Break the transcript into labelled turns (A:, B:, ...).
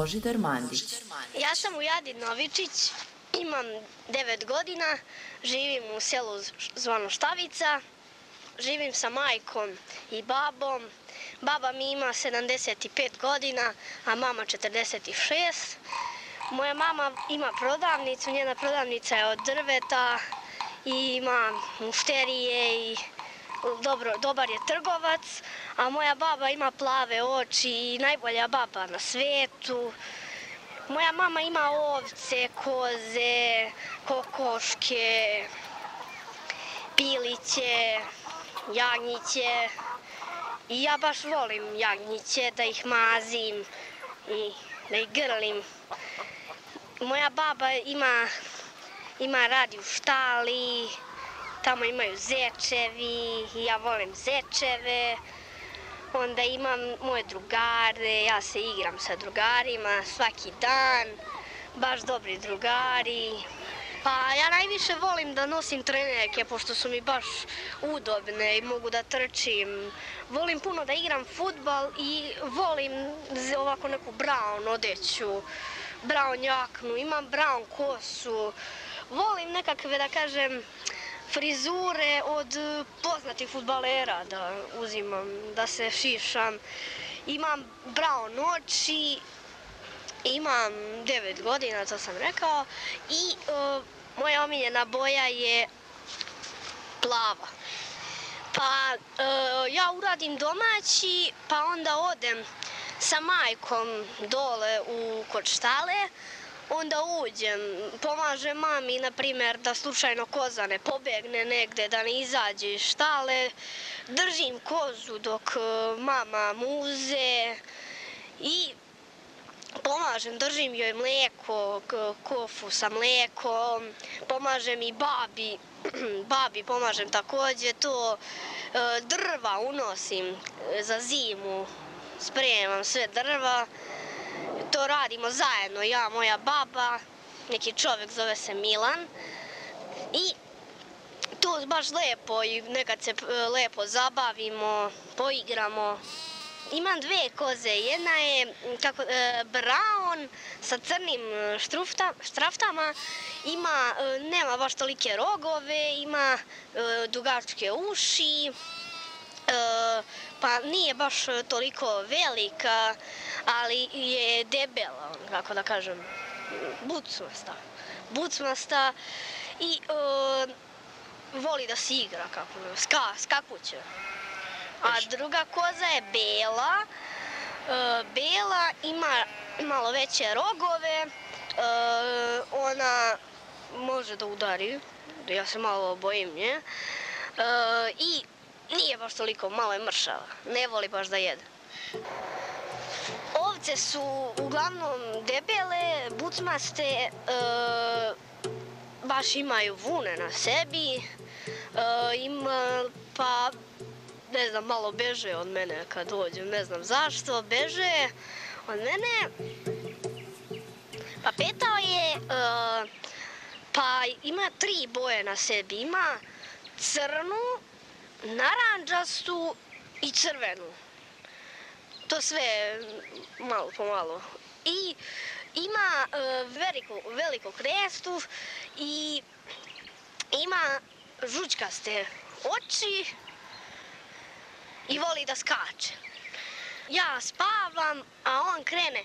A: Božidar Mandić.
B: Ja sam Ujadin Novičić, imam 9 godina, živim u selu zvano Štavica, živim sa majkom i babom. Baba mi ima 75 godina, a mama 46. Moja mama ima prodavnicu, njena prodavnica je od drveta i ima mušterije i dobar je trgovac, a moja baba ima plave oči i najbolja baba na svetu. Moja mama ima ovce, koze, kokoške, piliće, jagnjiće i ja baš volim jagnjiće, da ih mazim i da ih grlim. Moja baba ima radi u štali, tamo imaju zečevi i ja volim zečeve. Onda imam moje drugare, ja se igram sa drugarima svaki dan, baš dobri drugari. Pa ja najviše volim da nosim trenerke, pošto su mi baš udobne i mogu da trčim. Volim puno da igram fudbal i volim ovako neku brown odeću, brown jaknu, imam brown kosu. Volim nekakve, da kažem, frizure od poznatih fudbalera da uzimam, da se šišam. Imam brown oči, imam 9 godina, to sam rekao, i moja omiljena boja je plava. Pa ja uradim domaći, pa onda odem sa majkom dole kod štale, onda uđem, pomažem mami, na primjer, da slučajno koza ne pobegne negde, da ne izađe iz štale, držim kozu dok mama muze i pomažem, držim joj mlijeko, kofu sa mlijekom, pomažem i babi pomažem također to, drva unosim za zimu, spremam sve drva, to radimo zajedno, ja, moja baba, neki čovjek zove se Milan i tu baš lepo i nekad se lepo zabavimo, poigramo. Imam 2 koze, jedna je brown sa crnim štraftama, nema baš tolike rogove, ima dugačke uši, pa nije baš toliko velika, ali je debela, kako da kažem, bucmasta i voli da se igra, skakuće. A druga koza je bela, ima malo veće rogove, ona može da udari, ja se malo bojim nje, i nije baš toliko, malo je mršava, ne voli baš da jede. Ovce su uglavnom debele, bucmaste, baš imaju vune na sebi, pa ne znam, malo beže od mene kad dođem, ne znam zašto, beže od mene. Pa petao je, pa ima 3 boje na sebi, ima crnu, narandžastu i crvenu. To sve malo po malo. I ima veliku krestu i ima žučkaste oči i voli da skače. Ja spavam, a on krene